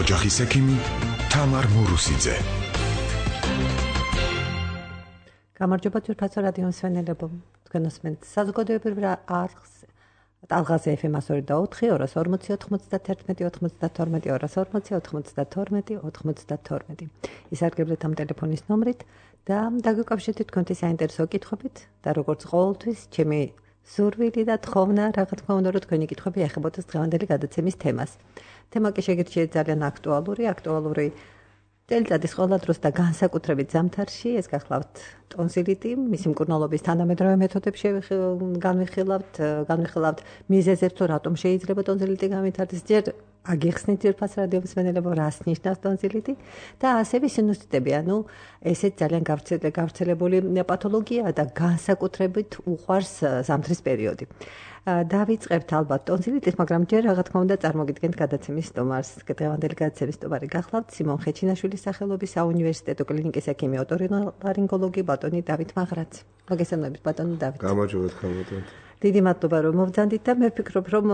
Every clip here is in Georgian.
ოჯახის ექიმი თამარ მურუსიძე. გამარჯობა ძვირფასო რადიო მსმენელებო. თქვენ უსმენთ საზოგადოებრივ არხს ტალღაზე FM 102.4 240 ისარგებლეთ ამ ტელეფონის ნომრით და დაგვიკავშირდეთ თქვენთვის საინტერესო კითხვებით და როგორც ყოველთვის ჩემი სურვილი და თხოვნა რა თქმა უნდა რომ თქვენი კითხვები ეხებოდეს დღევანდელი გადაცემის თემას. თემა კი შეგირჩიეთ ძალიან აქტუალური წელიწადის ყველა დროს და განსაკუთრებით ზამთარში ეს გახლავთ ტონზილიტი, მისი მკურნალობის თანამედროვე მეთოდებში განვიხილავთ მიზეზებს, თუ რატომ შეიძლება ტონზილიტი გამითარდეს, ჯერ აგიხსნით ძვირფას რადიო მსმენელებო, რას ნიშნავს ტონზილიტი და ასევე სინუსიტები, ანუ ესეც ძალიან გავრცელებული პათოლოგია და განსაკუთრებით უყვარს ზამთრის პერიოდი. დავიწყებთ ალბათ ტონზილიტის, მაგრამ ჯერ რა თქმა უნდა წარმოგიდგენთ გადაცემის სტუმარს. დღევანდელი გადაცემის სტუმარი გახლავთ სიმონ ხეჩინაშვილის სახელობის საუნივერსიტეტო კლინიკის ექიმი ოტორინოლარინგოლოგი ბატონი დავით მაღრაცი. მოგესალმებით ბატონი დავით. გამარჯობათ ხალხო. დიდი მადლობა რომ მოვძანდით და მე ვფიქრობ რომ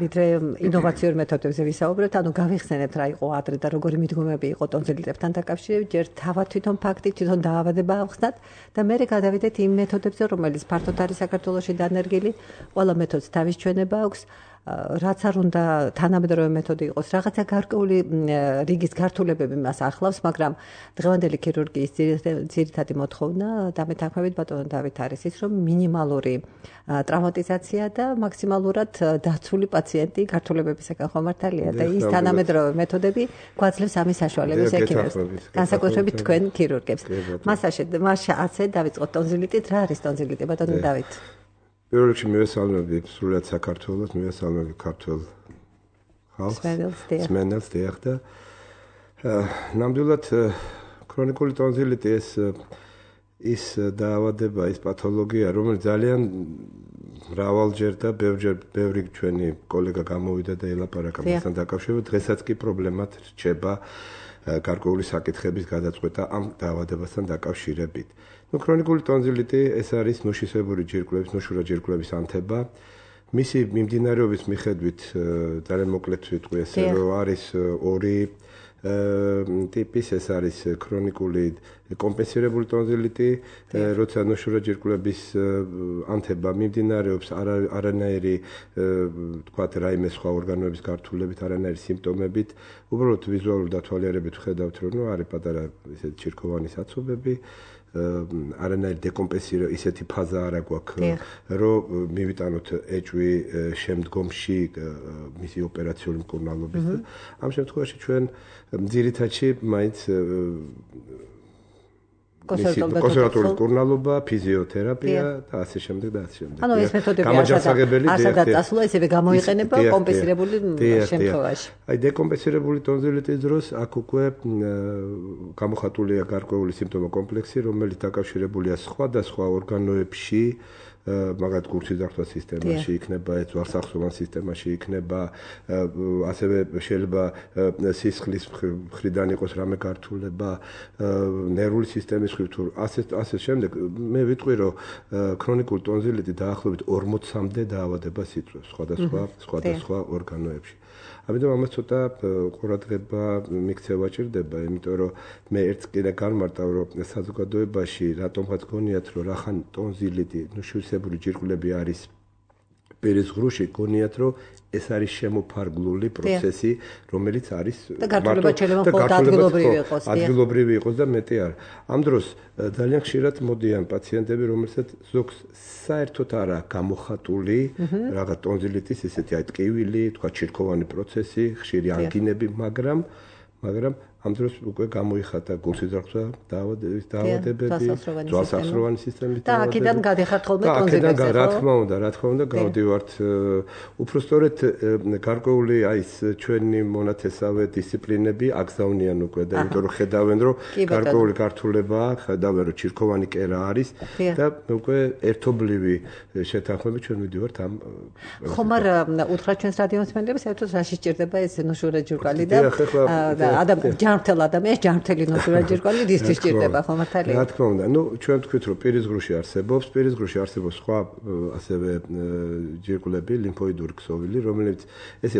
ვიდრე ინოვაციურ მეთოდებზე ვისაუბრებთ, ანუ გავიხსენებთ რა იყო ადრე და როგორი მიდგომები იყო ტონზილიტებთან დაკავშირებით, ჯერ თავად თვითონ დაავადება ავხსნათ და მე გადავიდეთ იმ მეთოდებზე, რომელიც ფართოდ არის საქართველოში დანერგილი, ყველა მეთოდს თავის ჩვენება აქვს. რაც არ უნდა თანამედროვე მეთოდი იყოს, რაღაცა გარკვეული რიგის გართულებები მას ახლავს, მაგრამ დღევანდელი ქირურგიის ძირითადი მოთხოვნა დამეთანხმებით ბატონო დავით არის ის, რომ მინიმალური ტრავმატიზაცია და მაქსიმალურად დაცული პაციენტი გართულებებისგან ხომართალია და ის თანამედროვე მეთოდები გვაძლევს ამის საშუალებას ექიმებს, განსაკუთრებით თქვენ ქირურგებს. მას ასე დავიწყოთ ტონზილიტით, რა არის ტონზილიტი ბატონო დავით? პირველ რიგში მივესალმები სრულად საქართველოს, მივესალმები ქართულ ხალხს, მსმენელს დიახ და ნამდვილად ქრონიკული ტონზილიტი ის დაავადება, ის პათოლოგია, რომელიც ძალიან მრავალჯერ და ბევრი ჩვენი კოლეგა გამოვიდა და ელაპარაკა მასთან დაკავშირებით, დღესაც კი პრობლემად რჩება გარკვეული საკითხების გადაწყვეტა ამ დაავადებასთან დაკავშირებით. ქრონიკული ტონზილიტი ეს არის ნუშისებური ჯირკვლების, ნუშურა ჯირკვლების ანთება. მისი მიმდინარეობის მიხედვით ძალიან მოკლედ ვიტყვი ესე რომ არის ორი ტიპის, ეს არის ქრონიკული კომპენსირებული ტონზილიტი, როცა ნუშურა ჯირკვლების ანთება მიმდინარეობს არანაირი თქვათ რაიმე სხვა ორგანოების გართულებით, არანაირი სიმპტომებით, უბრალოდ ვიზუალური დათვალიერებით ვხედავთ რომ არის პატარა ისეთი ჩირქოვანი საცობები, არანაირი დეკომპენსირება ისეთი ფაზა არ აქვს, რომ მივიტანოთ ეჭვი შემდგომში მისი ოპერაციული მკურნალობის. ამ შემთხვევაში ჩვენ ძირითადში მაინც კონსერვატორული მკურნალობა, ფიზიოთერაპია და ასე შემდეგ და ასე შემდეგ. ანუ ეს მეთოდები ასადაც წასულა, ისევე გამოიყენება კომპენსირებული შემთხვევაში. აი დეკომპენსირებული ტონზილიტის დროს აქ უკვე გამოხატულია გარკვეული სიმპტომა კომპლექსი, რომელიც დაკავშირებულია სხვადასხვა ორგანოებში, მაგათ გულსიძახვის სისტემაში იქნება, ძვალსახსოვან სისტემაში იქნება, ასევე შეიძლება სისხლის მხრიდან იყოს რამე გართულება, ნერვული სისტემის მხრიდან თუ ასე შემდეგ. მე ვიტყვი რომ ქრონიკული ტონზილიტი დაახლოებით 40-მდე დაავადებას იწვევს სხვადასხვა ორგანოებში. ამიტომ ამას ცოტა ყურადღება მიქცევა ჭირდება, იმიტომ რომ მე ერთს კიდე განმარტავ რომ საზოგადოებაში რატომღაც გონიათ რომ რახან ტონზილიტი, ნუშისებური ჯირკვლები არის პირის ღრუში, გონიათ რომ ეს არის შემოფარგლული პროცესი, რომელიც არის ადგილობრივი იყოს და მეტი არა. ამ დროს ძალიან ხშირად მოდიან პაციენტები, რომელსაც ზოგს საერთოდ არ აქვს გამოხატული რაღაც ტონზილიტის ესეთი აი ტკივილი, თქვა ჩირქოვანი პროცესი, ხშირი ანგინები, მაგრამ ამ დროს უკვე გამოიხატა გულსიძახვა დაავადებები, ძვალსახსოვანი სისტემის და აქედან გადიხართ ხოლმე ტონზილებზე. რა თქმა უნდა, გავდივართ. უпростоრეთ გარკვეული აი ეს ჩვენი მონათესავე დისციპლინები აგზავნიან უკვე და იმიტომ რომ ხედავენ რომ გარკვეული გართულება, ხედავენ რომ ჩირქოვანი კერა არის და უკვე ერთობლივი შეთანხმებით ჩვენ ვიდივართ ამ ხომარ უთხრა ჩვენს რადიო მსმენელებს, საერთოდ რაში სჭირდება ეს ნუშურა ჯირკვალი და ჯანმრთელ ადამიანს ჯანმრთელი ნოშურა ჯირკვალი რისთვის ჭირდება ხო მართალია? რა თქმა უნდა, ჩვენ თქვით რომ პირისგრუში არსებობს სხვა ასევე ჯირკვლები, ლიმფოიდური ქსოვილი, რომელიც ესე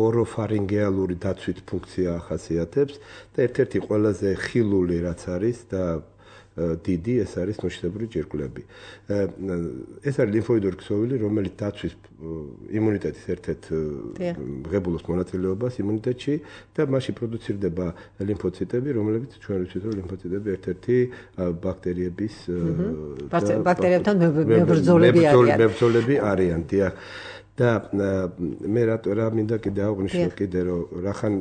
ოროფარინგეალური დაცვით ფუნქცია ახასიათებს და ერთ-ერთი ყველაზე ხილული რაც არის და დიდი ეს არის ნოშრებური ჯირკვლები. ეს არის ლიმფოიდური ქსოვილი, რომელიც დაცვის იმუნიტეტის ერთ-ერთ ღებულობს მონაწილეობას იმუნიტეტში და მასში პროდუცირდება ლიმფოციტები, რომლებიც ჩვენ ვიცით, რომ ლიმფოციტები ერთ-ერთი ბაქტერიების ბაქტერიებთან მებრძოლები არიან, დიახ. და მე რა მინდა კიდე აღვნიშნო რომ რახან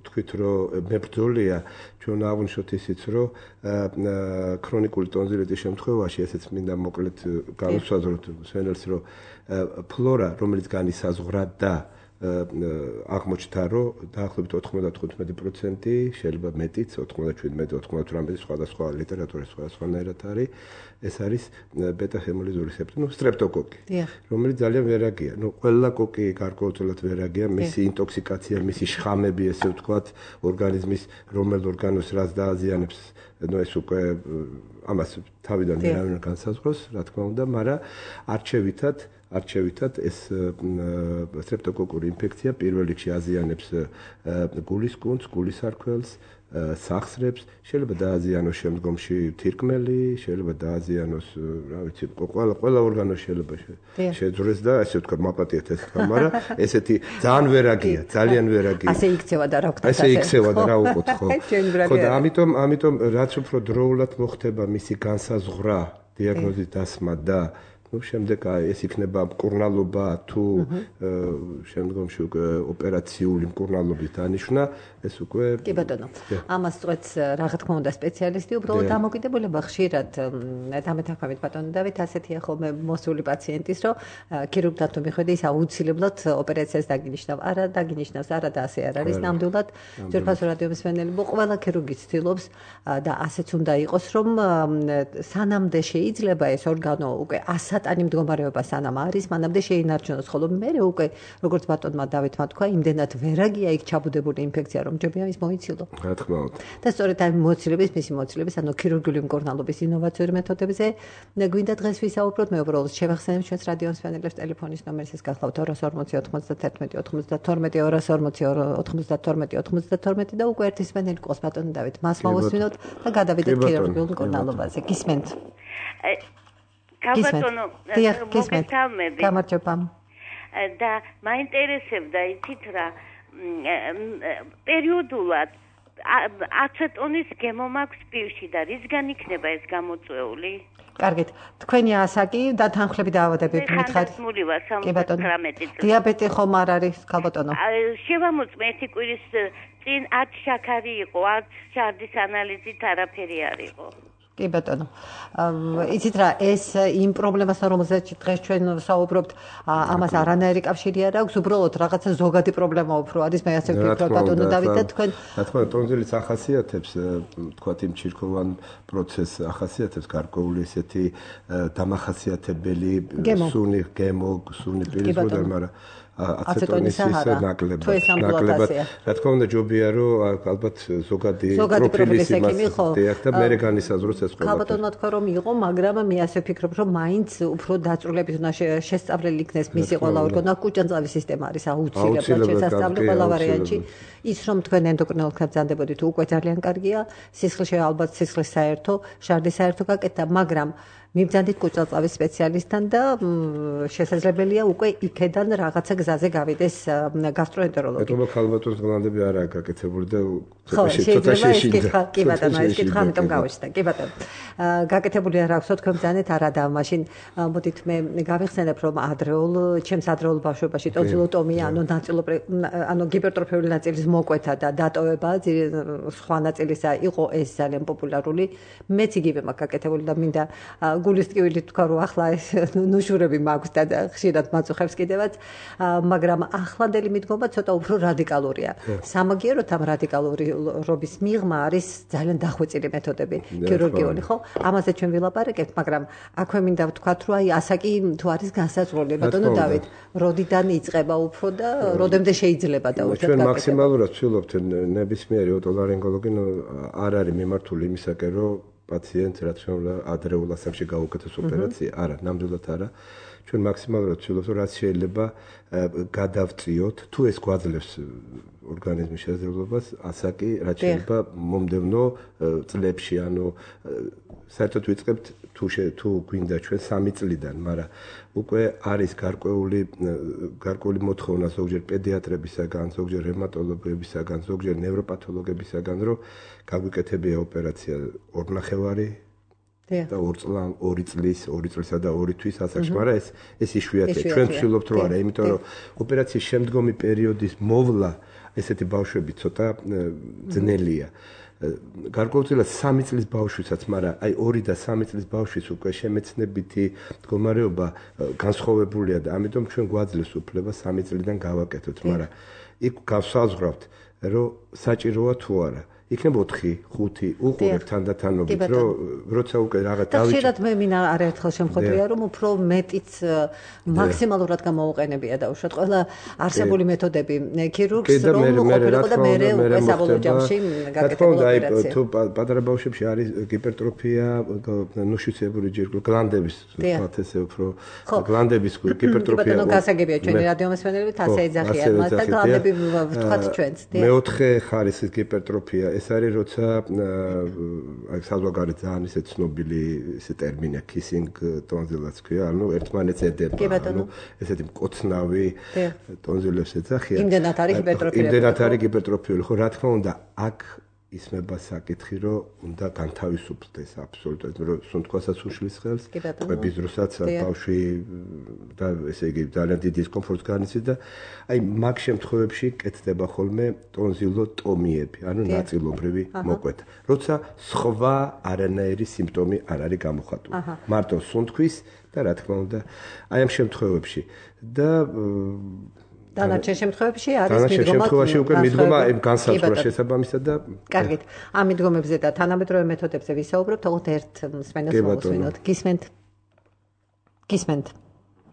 თქვით რომ მებრძოლია ჩვენ აღვნიშნოთ ისიც რომ ქრონიკული ტონზილიტის შემთხვევაში ესეც მინდა მოკლედ განვსაზღვროთ სვენელს რომ ფლორა რომელიც განისაზღვრა და აღმოჩნდა რომ დაახლოებით 95% შეიძლება მეტიც 97-98 სხვადასხვა ლიტერატურის სხვადასხვანაირად არის ეს არის ბეტა-ჰემოლიზური სეპტომი, სტრეპტოკოკი, რომელიც ძალიან ვერაგია. ყველა კოკი გარკვეულწილად ვერაგია, მისი ინტოქსიკაცია, მისი შხამები, ესე ვთქვათ, ორგანიზმის რომელ ორგანოს რაც დააზიანებს, ეს უკვე ამას თავიდან ვერავინ განსაზღვროს, რა თქმა უნდა, მაგრამ არჩევითად ეს სტრეპტოკოკური ინფექცია პირველ რიგში აზიანებს გულის კუნთს, გულის არქველს, სახსრებს, შეიძლება დააზიანოს შემდგომში თირკმელი, შეიძლება დააზიანოს, რა ვიცი, ყველა ორგანო შეიძლება შეძრეს და ასე ვთქვათ, მაპატიეთ ეს თქმა, მაგრამ ესეთი ძალიან ვერაგია, ძალიან ვერაგია. ასე იქცევა და რა ვქოთ, ასე იქცევა და რა უყოთ, ხო. ხო და ამიტომ რაც უფრო დროულად მოხდება მისი განსაზღვრა, დიაგნოზის დასმა და შემდეგ ეს იქნება მკურნალობა თუ შემდგომში უკვე ოპერაციული მკურნალობის დანიშვნა ეს უკვე კი ბატონო ამას წვეთს რა თქმა უნდა სპეციალისტი უბრალოდ დამოკიდებულება ხშირად დამეთანხმებით ბატონო დავით ასეთია ხოლმე მოსული პაციენტის რომ ქირურგთან თუ მიხვედი ის აუცილებლად ოპერაციას დაგინიშნავს არა და ასე არ არის ნამდვილად ძვირფასო რადიომსმენელი ყველა ქირურგი ცდილობს და ასეც უნდა იყოს რომ სანამდე შეიძლება ეს ორგანო უკვე ასატანი მდგომარეობა სანამ არის მანამდე შეინარჩუნოს ხოლო მე უკვე როგორც ბატონმა დავითმა თქვა იმდენად ვერაგია იქ ჩაბუდებული ინფექცია რომ ჯობია ის მოიცილო რა თქმა უნდა და სწორედ ამ მისი მოცილების ანუ ქირურგიული მკურნალობის ინოვაციური მეთოდებზე გვინდა დღეს ვისაუბროთ მე უბრალოდ შევახსენებ ჩვენს რადიომსმენელებს ტელეფონის ნომერს ეს გახლავთ 240-91-92-92 და უკვე ერთის სმენელი ყოს ბატონო დავით მას მოვუსმინოთ და გადავიდეთ ქირურგიულ მკურნალობაზე გისმენთ Kabatono, მოგესალმები. გამარჯობა. და მაინტერესებდა იცით რა პერიოდულად აცეტონის გემო მაქვს პირში და რისგან იქნება ეს გამოწვეული? კარგით. თქვენი ასაკი და თანხლები დაავადებები მითხარით. კი ბატონო. დიაბეტი ხომ არ არის, ქალბატონო? შევამოწმე ერთი კვირის წინ 10 შაქარი იყო, 10 შარდის ანალიზით არაფერი არ იყო. კი ბატონო. იცით რა, ეს იმ პრობლემასთან რომელზეც დღეს ჩვენ ვსაუბრობთ, ამას არანაირი კავშირი არ აქვს, უბრალოდ რაღაცა ზოგადი პრობლემა უფრო არის, მე ასე ვფიქრობ ბატონო დავით და თქვენ. რა თქმა უნდა, ტონზილიც ახასიათებს, თქვათ იმ ჩირქოვან პროცესს ახასიათებს გარკვეული ესეთი დამახასიათებელი სუნი პირისგრუდა, მაგრამ აცეტონის ნაკლებად. რა თქმა უნდა, ჯობია რომ ალბათ ზოგადი პროფილის იმას და მე განისაზღვროს ეს ყველაფერი. ქალბატონმა თქვა რომ იყო, მაგრამ მე ასე ვფიქრობ, რომ მაინც უფრო დაწვრილებით უნდა შესწავლილი იქნეს მისი ყველა ორგანო, კუჭანძავის სისტემა არის აუცილებლად შესწავლილი ყველა ვარიანტში. ის რომ თქვენ ენდოკრინოლოგთან ბრძანდებოდით, უკვე ძალიან კარგია. სისხლში ალბათ სისხლის საერთო, შარდის საერთო გაკეთდა, მაგრამ მიბრძანდით კუჭალწავის სპეციალისტთან და შესაძლებელია უკვე იქედან რაღაცა გზაზე გავიდეს გასტროენტეროლოგი. მეტყობა ქალბატონს გლანდები არაა გაკეთებული და ცოტა შეშინდა. კი ბატონო, ეს კითხვა ამიტომ გავიშთა. კი ბატონო. გაკეთებული არ აქვს, თქვენ ბრძანეთ არა და მაშინ მოდით მე გავიხსენებ რომ ჩემს ადრეულ ბავშვობაში ტონზილოტომია, ანუ გიპერტროფიული ნაწილის მოკვეთა და დატოვება სხვა ნაწილისა იყო ეს ძალიან პოპულარული. მეც იგივე მაქვს გაკეთებული და მინდა გულის ტკივილი თქვა რომ ახლა ეს ნუშურები მაქვს და ხშირად მაწუხებს კიდევაც მაგრამ ახლანდელი მიდგომა ცოტა უფრო რადიკალურია. სამაგიეროდ ამ რადიკალურობის მიღმა არის ძალიან დახვეწილი მეთოდები ქირურგიული, ხო? ამაზე ჩვენ ვილაპარაკებთ, მაგრამ აქვე მინდა ვთქვათ, რომ აი ასაკი თუ არის განსაზღვრული, ბატონო დავით, როდიდან იწყება უფრო და როდემდე შეიძლება დაუშვათ ჩვენ მაქსიმალურად ვცდილობთ ნებისმიერი ოტოლარინგოლოგი არ არის მიმართული იმისაკენ, რომ პაციენტს რაც უნდა ადრეულ ასაკში გაუკეთოს ოპერაცია, არა, ნამდვილად არა. ჩვენ მაქსიმალურად ვცდილობთ, რომ რაც შეიძლება გადავწიოთ, თუ ეს გვაძლევს ორგანიზმის შესაძლებლობას, ასაკი რაც შეიძლება მომდევნო წლებში, ანუ საერთოდ ვიწყებთ თუ გვინდა ჩვენ 3 წლიდან, მაგრამ უკვე არის გარკვეული მოთხოვნა ზოგჯერ პედიატრებისაგან, ზოგჯერ რევმატოლოგებისაგან, ზოგჯერ ნევროპათოლოგებისაგან, რომ გაგვიკეთებია ოპერაცია 2.5 და 2 წლისა და 2 თვის ასაკში, მაგრამ ეს იშვიათია. ჩვენ ვცდილობთ რომ არა, იმიტომ რომ ოპერაციის შემდგომი პერიოდის მოვლა ესეთი ბავშვები ცოტა ძნელია. გარკვეულწილად 3 წლის ბავშვისაც, მაგრამ აი 2 და 3 წლის ბავშვის უკვე შემეცნებითი მდგომარეობა განსხვავებულია და ამიტომ ჩვენ გვაძლევს უფლება 3 წლიდან გავაკეთოთ, მაგრამ იქ გავსაზღვრავთ, რომ საჭიროა თუ არა. იქნება 4, 5 უყურებთ თანდათანობით, რომ როცა უკვე რაღაც და ხშირად მე მინდა არაერთხელ შემხვედრია, რომ უფრო მეტიც მაქსიმალურად გამოუყენებია დაუშვათ ყველა არსებული მეთოდები ქირურგს, რომ ყოფილიყო და მე უკვე საბოლოო ჯამში გაკეთებულა ოპერაცია. თუ პატარა ბავშვებში არის გიპერტროფია, ნუშიცებური ჯირკვლის გლანდების, ვთქვათ ესე უფრო გლანდების გიპერტროფია. ბატონო გასაგებია ჩვენი რადიომასმენელებით ასე ეძახიან მას და გლანდები ვთქვათ ჩვენც. მეოთხე ხარისხის გიპერტროფია ეს არის როცა აი საზღვარგარეთ ძალიან ისე ცნობილი ისე ტერმინია kissing tonsillas ქვია, ანუ ერთმანეთს ედება, ანუ ესეთი მკოცნავი ტონზილებს ეძახიან. იმდენად არის ჰიპერტროფია. იმდენად არის ჰიპერტროფიული, ხო, რა თქმა უნდა, აქ ისმება საკითხი, რომ უნდა განთავისუფლდეს აბსოლუტურად, რომ სუნთქვასაც უშლის ხელს, ყვების დროსაც ბავშვი და ესე იგი ძალიან დიდი დისკომფორტს განიცდის და აი მაგ შემთხვევებში კეთდება ხოლმე ტონზილოტომიები, ანუ ნაწილობრივი მოკვეთა. როცა სხვა არანაირი სიმპტომი არ არის გამოხატული. მარტო სუნთქვის და რა თქმა უნდა, აი ამ შემთხვევებში და დანარჩენ შემთხვევებში არის დანარჩენ შემთხვევაში უკვე მიდგომა განსაზღვრა შესაბამისად და კარგით. ამ მიდგომებზე და თანამედროვე მეთოდებზე ვისაუბრებთ, თუმცა ერთ მსმენელს მოვუსმინოთ. გისმენთ.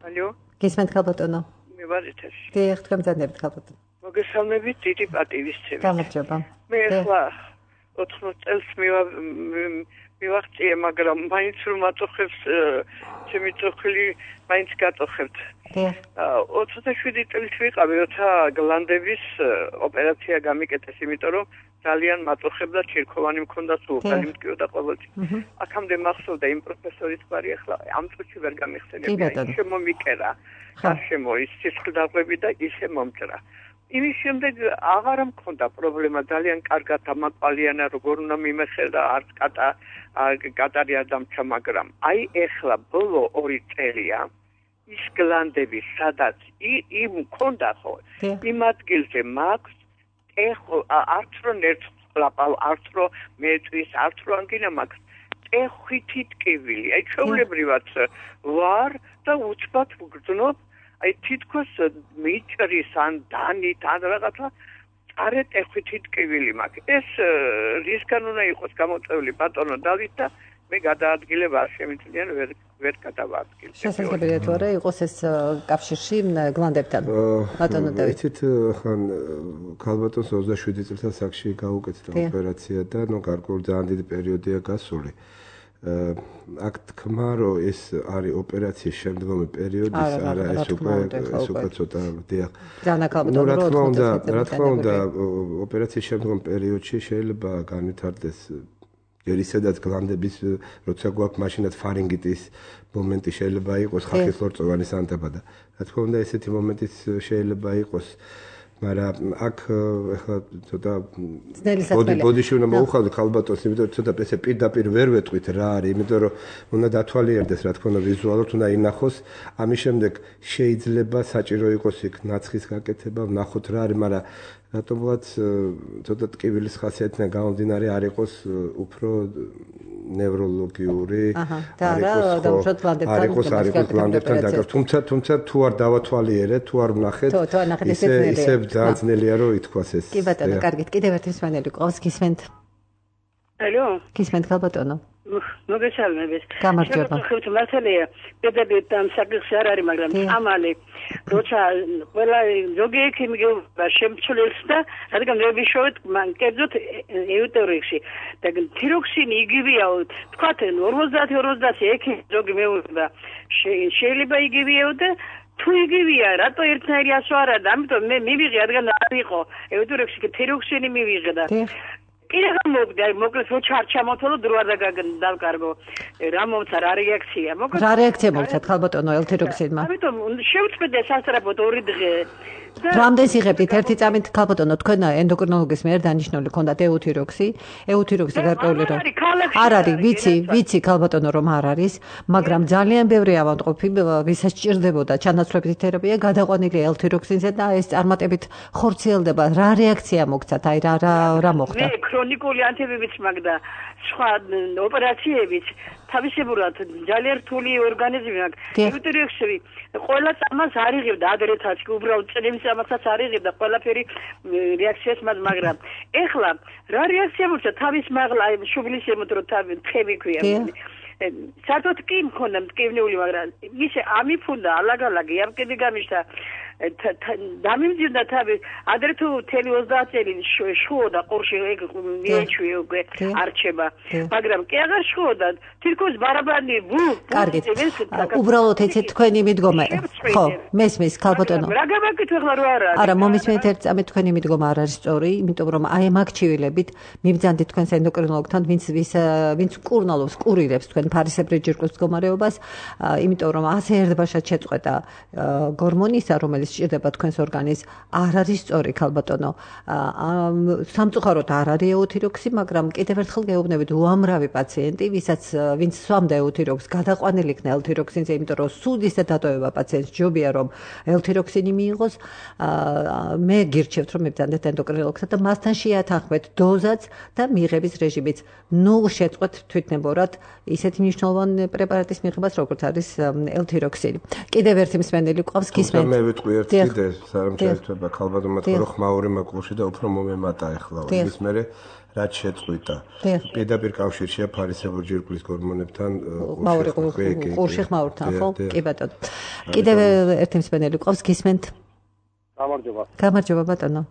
ალო. გისმენთ ხალბატონო. მე ვარ ეთერში. დიახ, თქვენ მზადნებით ხალბატონო. მოგესალმებით, დიდი პატივისცემით. გამარჯობა. მე ახლა 80 წელს მივაღწიე, მაგრამ მაინც რომ მაწოხებს ჩემი წოხილი მაინც გაწოხებთ. 27 წელს ვიყავი, როცა გლანდების ოპერაცია გამიკეთეს, იმიტომ რომ ძალიან მაწოხებდა, ჩირქოვანი მქონდა, სულფანი მტკიოდა ყოველთვის. აქამდე მახსოვდა იმ პროფესორის გვარი, ახლა ამ წუთში ვერ გამიხსენებია. ისე მომიკერა, გარშემო ის სისხლდაღები და ისე მომჭრა. იმის შემდეგ აღარ მქონდა პრობლემა, ძალიან კარგად ამაყალიანა, როგორ უნდა მიმეხერდა, არც კატარი არ დამჩა, მაგრამ აი ეხლა ბოლო 2 წელია ის გლანდები, სადაც იმ მქონდა ხო, იმ ადგილზე მაქვს არც რო ნერწლაპალ, არც რო მეტვის, არც რო ანგინა მაქვს, ტეხვითი ტკივილი. აი ჩვეულებრივად ვარ და უცბად ვგრძნობ, აი თითქოს მიჭრის ან დანით ან რაღაცა წარე ტეხვითი ტკივილი მაქვს. ეს რისგან უნდა იყოს გამოწვეული ბატონო დავით და მე გადაადგილებ არ შემიძლია ვერ გადავადგილებ. შესაძლებელია თუ არა იყოს ეს კავშირში გლანდებთან. ბატონო დავით. იცით ხან ქალბატონს 27 წელს ასაკში გაუკეთდა ოპერაცია და ნუ გარკვეული ძალიან დიდი პერიოდია გასული. აქ თქმა რომ ეს არის ოპერაციის შემდგომი პერიოდი, არა ეს უკვე ცოტა დიახ. ნუ რა თქმა უნდა ოპერაციის შემდგომ პერიოდში შეიძლება განვითარდეს ჯერ ისედაც გლანდების როცა გვაქვს მაშინაც ფარინგიტის მომენტი შეიძლება იყოს, ხალხის ლორწოვანის ანთება და რა თქმა უნდა ესეთი მომენტიც შეიძლება იყოს, მაგრამ აქ ახლა ცოტა ბოდიში უნდა მოუხალდეთ ხალბატონს, იმიტომ რომ ცოტა ესე პირდაპირ ვერ ვეტყვით რა არის, იმიტომ რომ უნდა დათვალიერდეს, რა თქმა უნდა ვიზუალურად უნდა ინახოს, ამის შემდეგ შეიძლება საჭირო იყოს იქ ნაცხის გაკეთება, ვნახოთ რა არის, მაგრამ რატომღაც ცოტა ტკივილის ხასიათიდან გამომდინარე არ იყოს უფრო ნევროლოგიური არ იყოს ლანდებთან დაკავშირებული თუმცა თუ არ დავათვალიერეთ თუ არ ვნახეთ ისე ძალიან ძნელია რომ ითქვას ეს კი ბატონო კარგით კიდევ ერთი მსმენელი ყავს გისმენთ ალო გისმენთ ბატონო მოგესალმებით. გამარჯობა. ხევთ მასალია. პედაგოგი ამ საკითხი არ არის, მაგრამ ამალი როცა ყველა ზოგი ექიმი გეუბნება შემცვლელს და რადგან მე ვიშოვეთ მან კერძოდ ეუტერიქსი და თიროქსინი იგივეა, თქვათ 50-50 ექიმი ზოგი მეუბნება შეიძლება იგივეო და თუ იგივეა, რატო ერთნაირი ასო არა და ამიტომ მე მივიღე რადგან არ იყო ეუტერიქსი თიროქსინი მივიღე და კიდევ მოგდა, მოკლედ რო ჩამოთვალო დრო არ დავკარგო. რა მომცა რა რეაქცია? მოკლედ რა რეაქცია მოგცათ ხალბატონო ელთიროქსინმა? ამიტომ შევწმედე სასწრაფოდ 2 დღე. რამდენს იღებდით ერთი წამით ხალბატონო თქვენ ენდოკრინოლოგის მიერ დანიშნული ქონდათ ეუთიროქსი გარკვეული რომ არ არის ვიცი ხალბატონო რომ არ არის მაგრამ ძალიან ბევრი ავადმყოფი ვისაც სჭირდებოდა ჩანაცვლებითი თერაპია გადაყვანილია ელთიროქსინზე და ეს წარმატებით ხორციელდება რა რეაქცია მოგცათ აი რა მოხდა მე ქრონიკული ანთებებიც მაგდა სხვა ოპერაციებიც თავისებურად ძალიან რთული ორგანიზმი აქვს ეუთიროქსი ყველა წამას არ იღებდა ადრეთაც უბრალოდ წლების წამასაც არ იღებდა ყველაფერი რეაქციას მაგრამ ეხლა რა რეაქცია მოხდა თავის მაღლა შუბლის ემოტრო თემი ქვია საერთოდ კი მქონდა მტკივნეული მაგრამ ისე ამიფუნდა ალაგ-ალაგი ამ კიდე გამიშთა დამიმძიმდა თავი ადრე თუ 30 წელი შუოდა ყურში მიეჩვია უკვე არჩება მაგრამ კი აღარ შუოდა თირკოს ბარაბანი კარგით უბრალოდ ეცეთ თქვენი მიდგომა ხო მესმის ხალბატონო რა გამაკეთე ახლა რო არა არა მომისმენთ ერთ წამით თქვენი მიდგომა არ არის სწორი იმიტომ რომ აი ამ აქჩივილებით მიბძანდით თქვენს ენდოკრინოლოგთან ვინც კურნალობს კურირებს თქვენ ფარისებრი ჯირკვლის მდგომარეობას იმიტომ რომ ასე ერთბაშად შეწყვეტა გორმონისა რომელიც სჭირდება თქვენს ორგანიზმს არ არის სწორი ხალბატონო სამწუხაროდ არ არის ეუთიროქსი მაგრამ კიდევ ერთხელ გეუბნებით უამრავი პაციენტი ვინც სვამდა ეუთიროქსს გადაყვანილი იქნა ელთიროქსინზე იმიტომ რომ სულ ისე დატოვება პაციენტს ჯობია რომ ელთიროქსინი მიიღოს მე გირჩევთ რომ მებრძანდეთ ენდოკრინოლოგსა და მასთან შეათანხმეთ დოზაც და მიღების რეჟიმიც ნუ შეწყვეთ თვითნებურად ისეთი მნიშვნელოვანი პრეპარატის მიღებას როგორც არის ელთიროქსინი კიდევ ერთი მსმენელი ყავს გისმენთ მე ვიტყვი ერთ კიდე საერთაშორისო ხალბატონმა თქო რომ ხმაური მაყურში და უფრო მომემატა ახლა ის მერე რაც შეწყვიტა პირდაპირ კავშირშია ფარისებრი ჯირკვლის გორმონებთან ყურში ხმაურთან ხო კი ბატონო კიდევ ერთი მსმენელი ყავს გისმენთ გამარჯობა ბატონო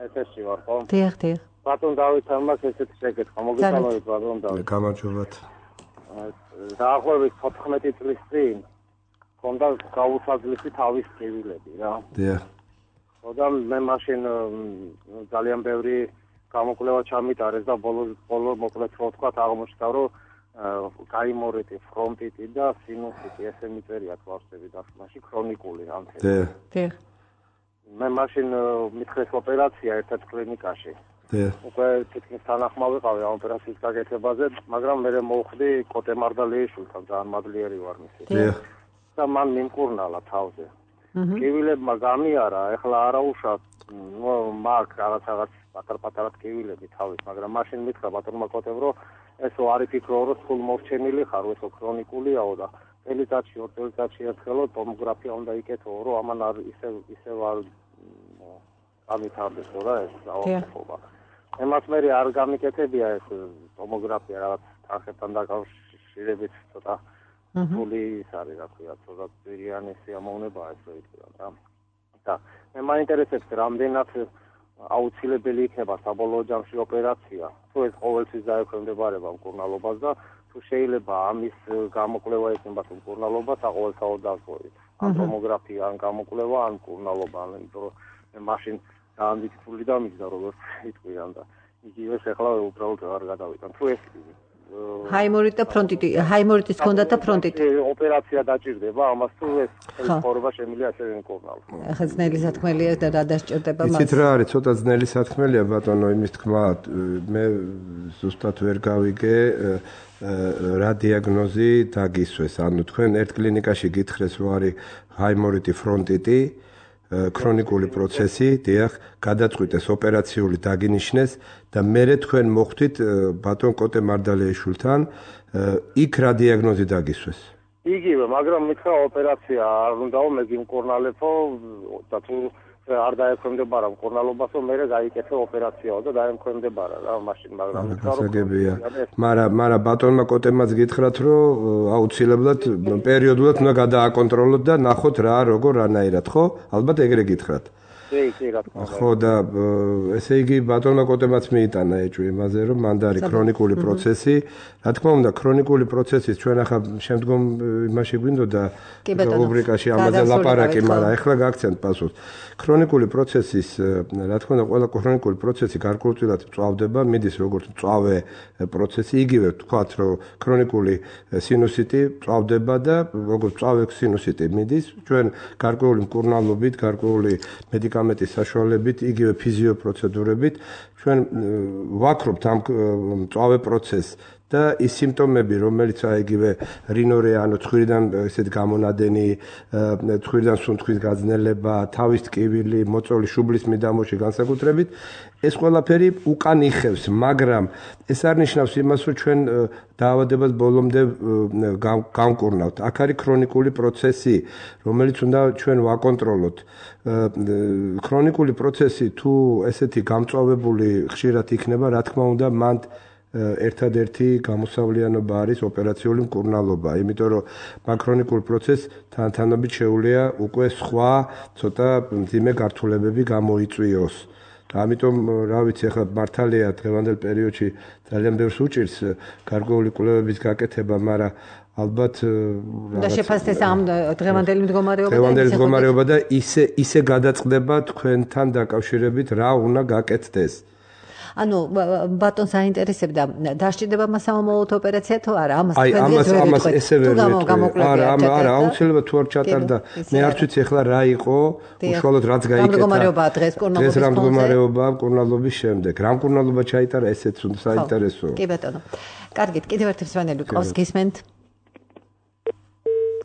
ეთერში ვარ ხო დიახ ბატონ დავითთან მაქვს ესეთი შეკითხვა მოგესალმებით ბატონ დავით გამარჯობათ დაახლოებით 14 წლის წინ კონდა გაუცაძლისი თავის ტკივილები რა დიახ ხოდა მე მაშინ ძალიან ბევრი გამოკვლევა ჩამიტარეს და ბოლო მოკლედ რო ვთქვა აღმოჩნდა რომ გაიმორიტი ფრონტიტი და სინუსიტი ესე მიწერია თვალსები დასმაში ქრონიკული ანთები დიახ მე მაშინ მithres ოპერაცია ერთ კლინიკაში უკვე თითქმის თანახმა ვიყავი ამ ოპერაციის გაკეთებაზე მაგრამ მე მოვხდი კოტე მარდალიეშვილთან ძალიან მადლიერი ვარ მისი და მან მიმკურნალა თავზე ტკივილებმა გამიარა ეხლა არაუშავ მაგ რაღაც პატარ-პატარა ტკივილები თავის მაგრამ მაშინ მითხრა ბატონმა კოტემ რომ ესო არ იფიქრო რომ სულ მოვჩენილი ხარ ესო ქრონიკულიაო და წელიწადში 2 წელიწადში ერთხელო ტომოგრაფია უნდა იკეთო რომ ამან არ ისევ არ ამითარდეს რა ეს დაავადება ემას მე არ გამიკეთებია ეს ტომოგრაფია რაღაც თანხებთან დაკავშირებით ცოტა ფული ის არის რა ქვია ცოტა ძირიანი სიამოვნებაა ეს რო იტყვია რა და მე მაინტერესებს რამდენად აუცილებელი იქნება საბოლოო ჯამში ოპერაცია თუ ეს ყოველთვის დაექვემდებარება მკურნალობას და თუ შეიძლება ამის გამოკვლევა ექნება მკურნალობას საყოველთაოდ დავწყვეტით ან ტომოგრაფია ან გამოკვლევა ან მკურნალობა იმიტომ რომ მე მაშინ დაამტკიცული და მიგდა როგორც იტყვიან და იგივეს ახლა უბრალოდ არ გადავიტან თუ ეს ჰაიმორიტი და ფრონტიტი ჰაიმორიტის ჰქონდა და ფრონტიტი ოპერაცია დაჭირდება ამას თუ ეს ხორობა შემიძლია ასევე მკურნალო ახლა ძნელი სათქმელია და რა დასჭირდება მას იცით რა არის ცოტა ძნელი სათქმელია ბატონო იმის თქმა მე ზუსტად ვერ გავიგე რა დიაგნოზი დაგისვეს ანუ თქვენ ერთ კლინიკაში გითხრეს რომ არის ჰაიმორიტი ფრონტიტი ქრონიკული პროცესი, დიახ, გადაწყვიტეს ოპერაციული დაგინიშნეს და მერე თქვენ მოხვდით ბატონ კოტე მარდალეიშვილთან, იქ რა დიაგნოზი დაგისვეს? იგივე, მაგრამ მითხრა ოპერაცია არ უნდაო, მე გიმკურნალებო და თუ არ დაექვემდებარა მკურნალობასო, მერე გაიკეთე ოპერაციაო და დაემქვემდებარა რა მაშინ, მაგრამ მითხრა მაგრამ ბატონმა კოტემაც გითხრათ, რომ აუცილებლად პერიოდულად უნდა გადააკონტროლოთ და ნახოთ რა როგორ რანაირად, ხო? ალბათ ეგრე გითხრათ. ხო და ესე იგი ბატონმა კოტემაც მიიტანა ეჭვი იმაზე, რომ მანდ არის ქრონიკული პროცესი. რა თქმა უნდა, ქრონიკული პროცესის ჩვენ ახლა შემდგომ იმაში გვინდოდა რუბრიკაში ამაზე ლაპარაკი, მაგრამ ახლა გაგცემთ პასუხს. ქრონიკული პროცესის, რა თქმა უნდა, ყველა ქრონიკული პროცესი გარკვეულწილად მწვავდება, მიდის როგორც მწვავე პროცესი, იგივე თქვათ, რომ ქრონიკული სინუსიტი მწვავდება და როგორც მწვავე სინუსიტი მიდის, ჩვენ გარკვეული მკურნალობით, გარკვეული მედიკამენტის საშუალებით, იგივე ფიზიოპროცედურებით ჩვენ ვაქრობთ ამ მწვავე პროცესს და ის სიმპტომები, რომელიც იგივე რინორე, ანუ ცხვირიდან ესეთ გამონადენი, ცხვირიდან სუნთქვის გაძნელება, თავის ტკივილი, მოწოლი შუბლის მიდამოში განსაკუთრებით, ეს ყველაფერი უკან იხევს, მაგრამ ეს არ ნიშნავს იმას, რომ ჩვენ დაავადებას ბოლომდე გავმკურნავთ. აქ არის ქრონიკული პროცესი, რომელიც უნდა ჩვენ ვაკონტროლოთ. ქრონიკული პროცესი თუ ესეთი გამწვავებული ხშირად იქნება, რა თქმა უნდა, მან ერთადერთი გამოსავლიანობა არის ოპერაციული მკურნალობა, იმიტომ რომ მაქრონიკულ პროცესს თანთანობით შეუძლია უკვე სხვა ცოტა მძიმე გართულებები გამოიწვიოს. ამიტომ რა ვიცი, ახლა მართალია დღევანდელ პერიოდში ძალიან ბევრს უჭირს გარკვეული კვლევების გაკეთება, მაგრამ ალბათ და შეფასდეს ამ დღევანდელი მდგომარეობა და ისე გადაწყდება თქვენთან დაკავშირებით რა უნდა გაკეთდეს. ანუ ბატონს აინტერესებდა დასჭირდება მასამომავლოდ ოპერაცია თუ არა? ამას ესე ვერ ვეთქვი. არა, აუცილებლად თუ არ ჩატარდა. მე არც ვიცი ახლა რა იყო, უშუალოდ რაც გაიკეთა. დღეს რა მდგომარეობაა მკურნალობის შემდეგ. რა მკურნალობა ჩაიტარა, ესეც საინტერესოა. კი ბატონო. კარგით, კიდევ ერთი მსმენელი ყავს, გისმენთ?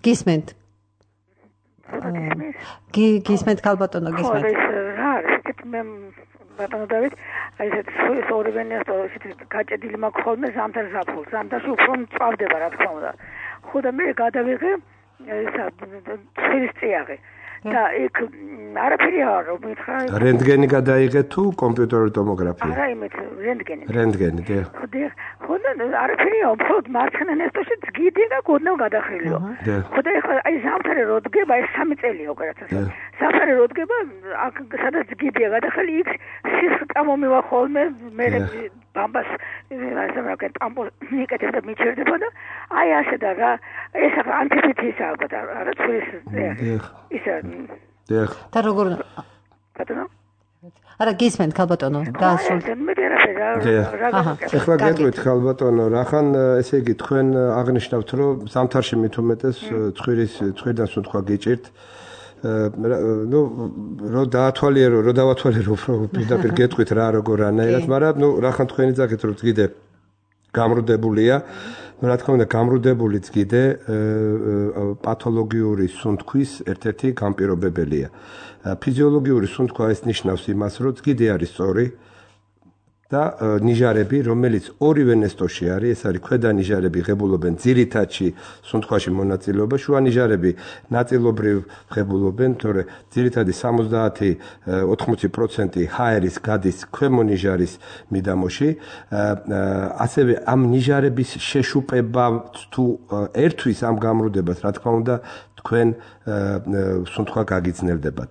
გისმენთ? გისმენთ ქალბატონო, გისმენთ? რა არის? მე ბატონო დავით, აი ეს ორივენია გაჭედილი მაქვს ხოლმე ზამთარ ზაფხულს. ზამთარში უფრო მწვავდება, რა თქმა უნდა. ხო და მე გადავიღე ისა ცხვირის წიაღი. და იქ არაფერი არ მითხრა. რენტგენი გადაიღე თუ კომპიუტერული ტომოგრაფია? არა, იმით რენტგენი. რენტგენი, დიახ. ხო და არაფერია, უბრალოდ მარცხენა ნესტოში ძგიდი და გოდნევ გადახრილიო. ხო და ეხლა აი ზამთარი რო დგება, ეს 3 წელია ოპერაციაზე. ზამთარი რო დგება, აქ სადაც ძგიდია გადახრილი, იქ სისხლი მომივა ხოლმე, მე ბამბას ასე მაგენ ტამპონს მიკეთებ და მიჩერდება და აი ასე და რა ეს ანტიფითისაა არა ცურის ისა დიახ და როგორ ბატონო არა გისმენთ ქალბატონო დაასრულეთ მე რა ახლა გეტყვით ქალბატონო რახან ესე იგი თქვენ აღნიშნავთ რომ ზამთარში მით უმეტეს ცხვირიდან სუნთქვა გიჭირთ ну რო დაათვალიერო უფრო პირდაპირ გეტყვით რა როგორ რანაირად მაგრამ ну რახან თქვენი ძახით რომ წგიდე გამრუდებულია რა თქმა უნდა გამრუდებული წგიდე პათოლოგიური სუნთქვის ერთ-ერთი განპირობებელია ფიზიოლოგიური სუნთქვა ეს ნიშნავს იმას რომ წგიდე არის სწორი და ნიჟარები, რომელიც ორივე ნესტოში არის, ეს არის ქვედა ნიჟარები ღებულობენ ძირითადში სუნთქვაში მონაწილეობა, შუა ნიჟარები ნაწილობრივ ღებულობენ, თორე ძირითადი 70-80% ჰაერის გადის ქვემო ნიჟარის მიდამოში. ასევე ამ ნიჟარების შეშუპება თუ ერთვის ამ გამრუდებას, რა თქმა უნდა, თქვენ სუნთქვა გაგიძნელდებათ.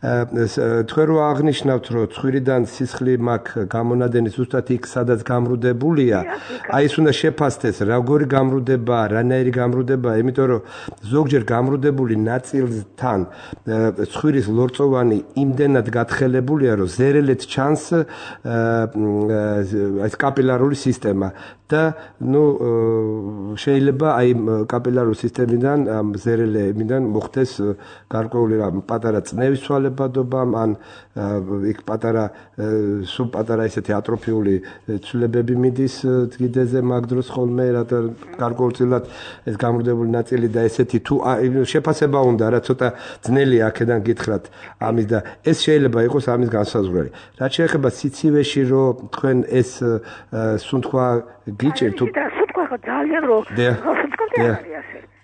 თქვენ რო აღნიშნავთ, რომ ცხვირიდან სისხლი მაქვს გამონადენი ზუსტად იქ, სადაც გამრუდებულია, აი ეს უნდა შეფასდეს, როგორი გამრუდებაა, რანაირი გამრუდებაა, იმიტომ რომ ზოგჯერ გამრუდებული ნაწილთან ცხვირის ლორწოვანი იმდენად გათხელებულია, რომ ზერელეთ ჩანს ეს კაპილარული სისტემა და ну შეიძლება აი კაპილარული სისტემიდან ზერელე იმიდან მოხდეს გარკვეული პატარა წნევის ცვალებადობა, ან იქ სულ პატარა ესეთი ატროფიული ცვლილებები მიდის დღიდეზე მაგ დროს ხოლმე, რათა გარკვეულწილად ეს გამრუდებული ნაწილი და ესეთი თუ შეფასება უნდა რა ცოტა ძნელია აქედან გითხრათ ამის და ეს შეიძლება იყოს ამის განსაზღვრელი. რაც შეეხება სიცივეში რომ თქვენ ეს სუნთქვა გიჭირთ თუ სუნთქვა ხო ძალიან რო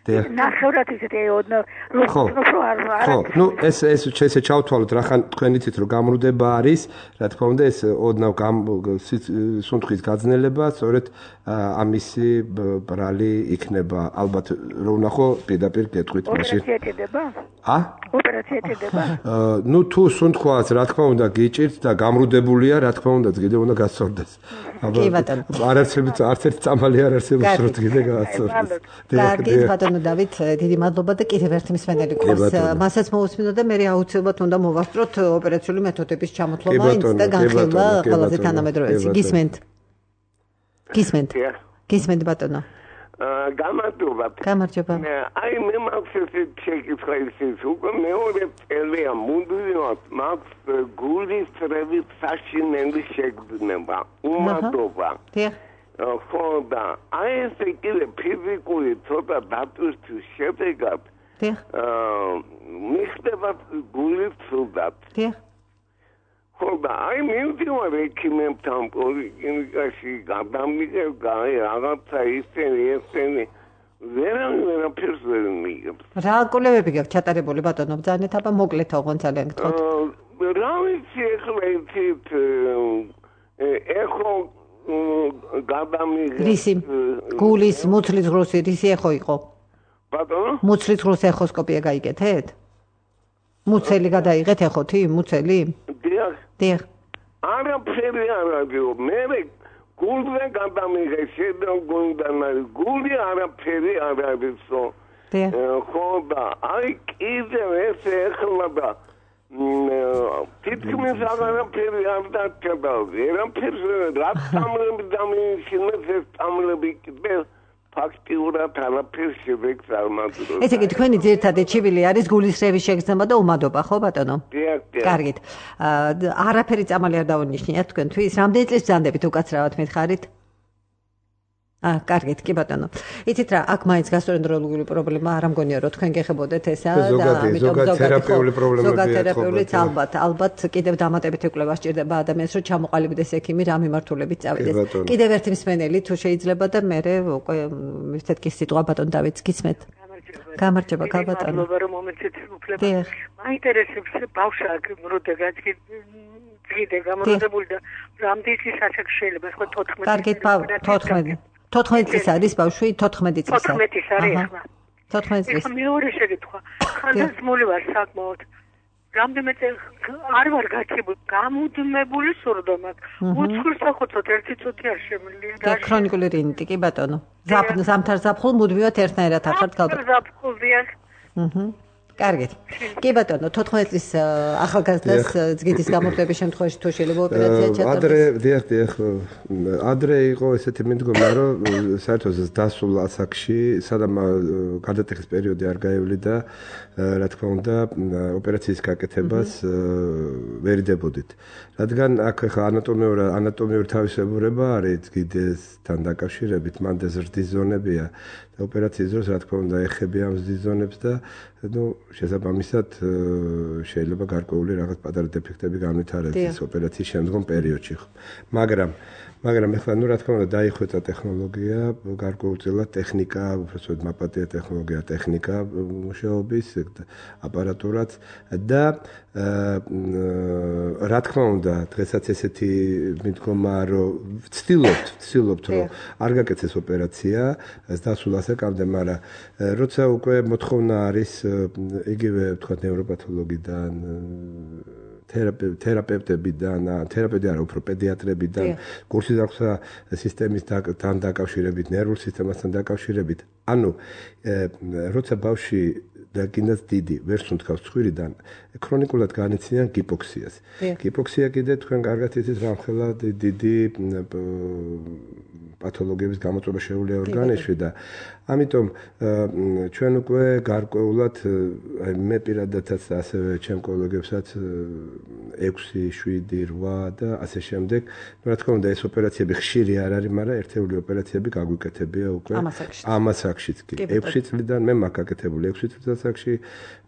ნახევრად ისეთი ხო, ნუ ეს ჩავთვალოთ რახან თქვენ იცით რომ გამრუდება არის, რა თქმა უნდა ეს ოდნავ სუნთქვის გაძნელება, სწორედ ამისი ბრალი იქნება. ალბათ რო ვნახო პირდაპირ გეტყვით მაშინ. ოპერაცია ჭირდება? ოპერაცია ჭირდება? ნუ თუ სუნთქვას რა თქმა უნდა გიჭირთ და გამრუდებულია, რა თქმა უნდა კიდევ უნდა გასწორდეს. კი ბატონო. არც ერთ წამალი არ არსებობს რომ კიდე გაასწორდეს. კარგი ბატონო დავით, დიდი მადლობა და კიდევ ერთი მსმენელი ყავს. მასაც მოусმინო და მე აუცილებლად უნდა მოვასწროთ ოპერაციული მეთოდების ჩამოთვლობა და განხილვა ყველაზე თანამედროვეში. გისმენთ ბატონო. გამარჯობა. აი მე მაქვს შეკითხვა ის უკვე მეორე წელია მუდმივად მაქვს გულის წრებით საშინელი შეგრძნება, უმადობა. ხო და აი ეს კიდე ფიზიკური ცოტა დატვირთვის შედეგად მიხდება გულის ცუდად. ხო და აი მივდივარ ექიმებთან პოლიკლინიკაში გადამიგებ რაღაცა ისენი ვერაფერს ვერ მიიღებს. რა კვლევები გაქვთ ჩატარებული ბატონო? ბრძანეთ აბა მოკლედ თողონ ძალიან გთხოვთ. რა ვიცი ახლა იცით ეხო გადამიგებ რისი გულის მუცლის ღრუსი რისი ეხო იყო? ბატონო? მუცლის ღრუს ეხოსკოპია გაიგეთეთ? მუცელი გადაიღეთ ეხოთი მუცელი? დიახ. არაფერი არ არის. მე გულზე გადამიღე შედო გულიდან გული არაფერი არ არის. ხო და აი კიდევ ეს ეხლა და თითქმის არაფერი არ დარჩება. ვერაფერს რა წამლები დამიშინეს ეს წამლები კიდე ფაქტიურად არაფერს შედეგს არ მაძლევს. ესე იგი თქვენი ძირითადი ჩივილი არის გულისრევის შეგრძნება და უმადობა, ხო ბატონო? დიახ. კარგით. არაფერი წამალი არ დავუნიშნიათ თქვენთვის. რამდენი წლის ბრძანდებით უკაცრავად მითხარით? კარგით, კი ბატონო. იცით რა, აქ მაინც გასტროენტეროლოგიური პრობლემა არ ამგონია რომ თქვენ გეხებოდეთ ესა და ამიტომ ზოგადად თერაპიული ალბათ კიდევ დამატებითი კვლევა სჭირდება ადამიანს რომ ჩამოყალიბდეს ექიმი რა მიმართულებით წავიდეს. კიდევ ერთი მსმენელი თუ შეიძლება და მე უკვე მივცეთ კი სიტყვა ბატონ დავითს გისმენთ. გამარჯობა ბატონო. მადლობა რომ მომეცეთ უფლება. მაინტერესებს ბავშვა მრუდებას კიდე გამრუდებული და რამდენი საჩქ შეიძლება ხო 14. კარგით 14 წლის არის ბავშვი 14 წლის. 14 არის ახლა. 14 წლის. მეორე შეკითხვა. ხანდაზმული ვარ საკმაოდ. რამდენი წელი არ ვარ გაჩებული. გამუდმებული სურდომა აქვს. უცხურსახოცოთ ერთი წუთი არ შემიძლია. და ქრონიკული რინიტი კი ბატონო. ზამთარ ზაფხულ მუდმივად ერთნაირად ახართ გალბა. ზაფხულზეა. კარგით. კი ბატონო, 14 წლის ახალგაზრდას ძგიდის გამორთვების შემთხვევაში თუ შეიძლება ოპერაცია ჩატარდეს. ადრე იყო ესეთი მიდგომა, რომ საერთოდ დასულ ასაკში, სადამ გადატეხის პერიოდი არ გაივლიდა, რა თქმა უნდა, ოპერაციის გაკეთებას ვერიდებოდით. რადგან აქ ხა ანატომიური თავისებურება არის ძგიდესთან დაკავშირებით, მანდ ზრდის ზონებია. ოპერაციის დროს რა თქმა უნდა ეხებია ამ ზრდის ზონებს და შესაბამისად შეიძლება გარკვეული რაღაც პატარა დეფექტები განვითარდეს ოპერაციის შემდგომ პერიოდში. მაგრამ ეხლა რა თქმა უნდა დაიხვეწა ტექნოლოგია, გარკვეულწილად ტექნიკა, უბრალოდ მაპატია ტექნიკა მუშაობის აპარატურაც და რა თქმა უნდა დღესაც ესეთი მიდგომა რომ ვცდილობთ რომ არ გაკეთდეს ოპერაცია დასულ ასაკამდე, მაგრამ როცა უკვე მოთხოვნა არის იგივე ვთქვათ ნევროპათოლოგიდან თერაპევტებიდან, თერაპევტი არა, უფრო პედიატრებიდან, კურსის აქვს სისტემისთან დაკავშირებით, ნერვულ სისტემასთან დაკავშირებით. ანუ როცა ბავშვი და კიდაც დიდი ვერ სუნთქავს ცხვირიდან, ქრონიკულად განიცდიან გიპოქსიას. გიპოქსია კიდე თქვენ კარგად იცით რამხელა დიდი პათოლოგიების გამოწვევა შეუძლია ორგანიზმში და ამიტომ ჩვენ უკვე გარკვეულად აი მე პირადადაც ასევე ჩემ კოლეგებსაც 6, 7, 8 და ასე შემდეგ რა თქმა უნდა ეს ოპერაციები ხშირი არ არის, მაგრამ ერთეული ოპერაციები გაგვიკეთებია უკვე ამას აქშიც კი 6 წლიდან მე მაქვს გაკეთებული 6 წელს აქში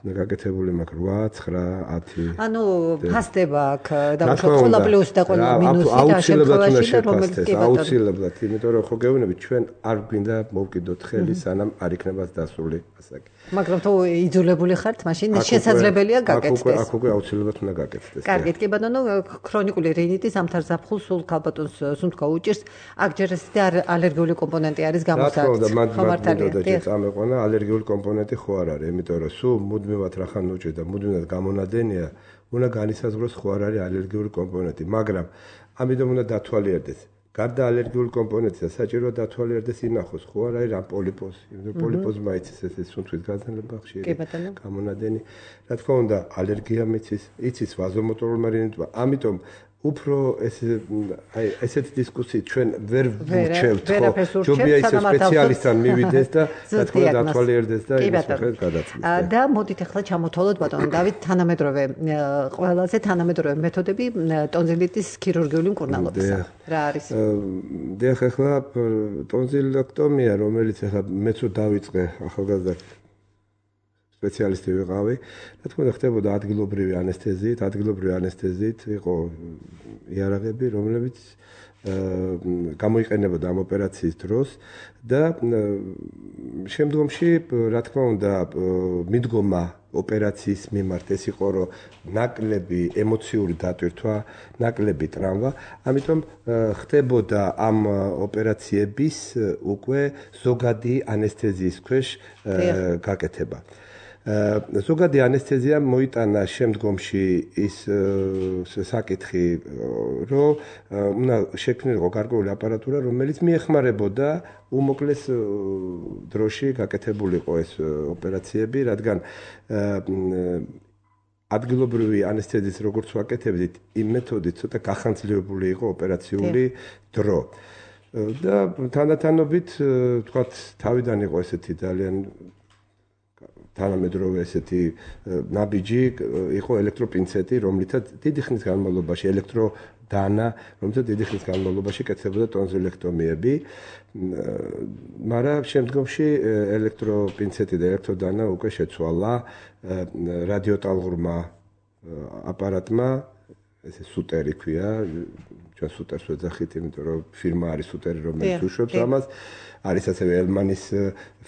გაკეთებული მაქვს 8, 9, 10 ანუ ფასდება აქ დაუშვათ ყველა პლუსი და ყველა მინუსი და შემთხვევაში რომელიც კი ბატონო აუცილებლად იმიტომ რომ ხო გეუბნები ჩვენ არ გვინდა მოვკიდოთ ხელი სანამ არ იქნება დასული ასაკი მაგრამ თუ იძულებული ხართ მაშინ შესაძლებელია გაკეთდეს აქ უკვე აუცილებლად უნდა გაკეთდეს კარგით კი ბატონო ქრონიკული რინიტი ზამთარ ზაფხულს სულ ქალბატონს სუნთქვა უჭირს აქ ჯერ ეს ალერგიული კომპონენტი არის გამოსაქმე ხომართალია წამეყვანა ალერგიული კომპონენტი ხო არ არის იმიტომ რომ სულ მუდმივად რახან უჭირს და მუდმივად გამონადენია უნდა განისაზღვროს ხო არ არის ალერგიული კომპონენტი მაგრამ ამიტომ უნდა დათვალიერდეს გარდა ალერგიული კომპონენტისა საჭიროა დათვალიერდეს ინახოს ხო არ არის ამ პოლიპოზი იმიტომ პოლიპოზმა იცის ეს სუნთქვის გაზრდება ხშირი გამონადენი რა თქმა უნდა ალერგია იცის ვაზომოტორულმა რინიტმა ამიტომ უფრო ესეთ დისკუსიით ჩვენ ვერ ვურჩევთ ხო ჯობია ისე სპეციალისტთან მივიდეს და რა თქმა უნდა დათვალიერდეს და იმის მიხედვით გადაწყვეტს და მოდით ახლა ჩამოთვალოთ ბატონო დავით თანამედროვე ყველაზე თანამედროვე მეთოდები ტონზილიტის ქირურგიული მკურნალობისა რა არის დიახ ახლა ტონზილექტომია რომელიც ახლა მეც დავიწყე ახალგაზრდა სპეციალისტი ვიყავი. რა თქმა უნდა ხდებოდა ადგილობრივი ანესთეზიით იყო იარაღები, რომლებიც გამოიყენებოდა ამ ოპერაციის დროს და შემდგომში რა თქმა უნდა მიდგომა ოპერაციის მიმართ ეს იყო რომ ნაკლები ემოციური დატვირთვა, ნაკლები ტრამვა, ამიტომ ხდებოდა ამ ოპერაციების უკვე ზოგადი ანესთეზიის ქვეშ გაკეთება. ზოგადი ანესთეზია მოიტანა შემდგომში ის საკითხი რომ უნდა შექმნილიყო გარკვეული აპარატურა რომელიც მიეხმარებოდა უმოკლეს დროში გაკეთებულიყო ეს ოპერაციები რადგან ადგილობრივი ანესთეზიის როგორც ვაკეთებდით იმ მეთოდით ცოტა გახანძლებული იყო ოპერაციული დრო და თანდათანობით თქვათ თავიდან იყო ესეთი ძალიან თანამედროვე ესეთი ნაბიჯი იყო ელექტროპინცეტი, რომლითაც დიდი ხნის განმავლობაში ელექტროდანა, რომლითაც დიდი ხნის განმავლობაში კეთდებოდა ტონზილექტომიები, მაგრამ შემდგომში ელექტროპინცეტი და ელექტროდანა უკვე შეცვალა რადიოტალღურმა აპარატმა, ესე სუტერი ქვია, ჩვენ სუტერს ვეძახით, იმიტომ რომ ფირმა არის სუტერი, რომელიც უშვებს ამას. არის ასევე ელმანის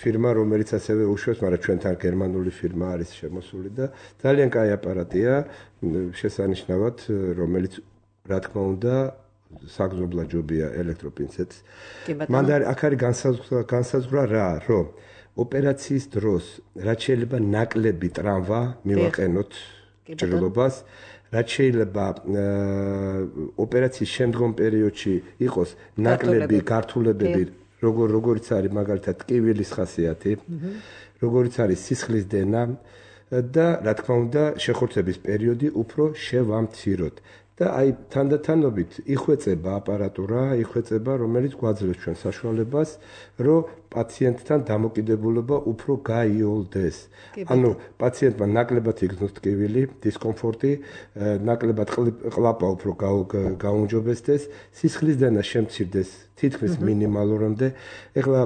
ფირმა, რომელიც ასევე უშვებს, მაგრამ ჩვენთან გერმანული ფირმა არის შემოსული და ძალიან კაი აპარატია, შესანიშნავად, რომელიც რა თქმა უნდა საგზობლად ჯობია ელექტროპინცეტს. მანდ აქ არის განსაზღვრა რა, რომ ოპერაციის დროს რაც შეიძლება ნაკლები ტრამვა მივაყენოთ ჭრილობას, რაც შეიძლება ოპერაციის შემდგომ პერიოდში იყოს ნაკლები გართულებები როგორც არის მაგალითად ტკივილის ხასიათი, როგორც არის სისხლის დენა და რა თქმა უნდა შეხორცების პერიოდი უფრო შევამციროთ. და აი თანდათანობით იხვეწება აპარატურა, რომელიც გვაძლევს ჩვენ საშუალებას, რომ პაციენტთან დამოკიდებულება უფრო გაიოლდეს. ანუ პაციენტმა ნაკლებად იქნოს ტკივილი, დისკომფორტი, ნაკლებად ყლაპა უფრო გაუმჯობესდეს, სისხლის დენა შემცირდეს თითქმის მინიმალურამდე. ეხლა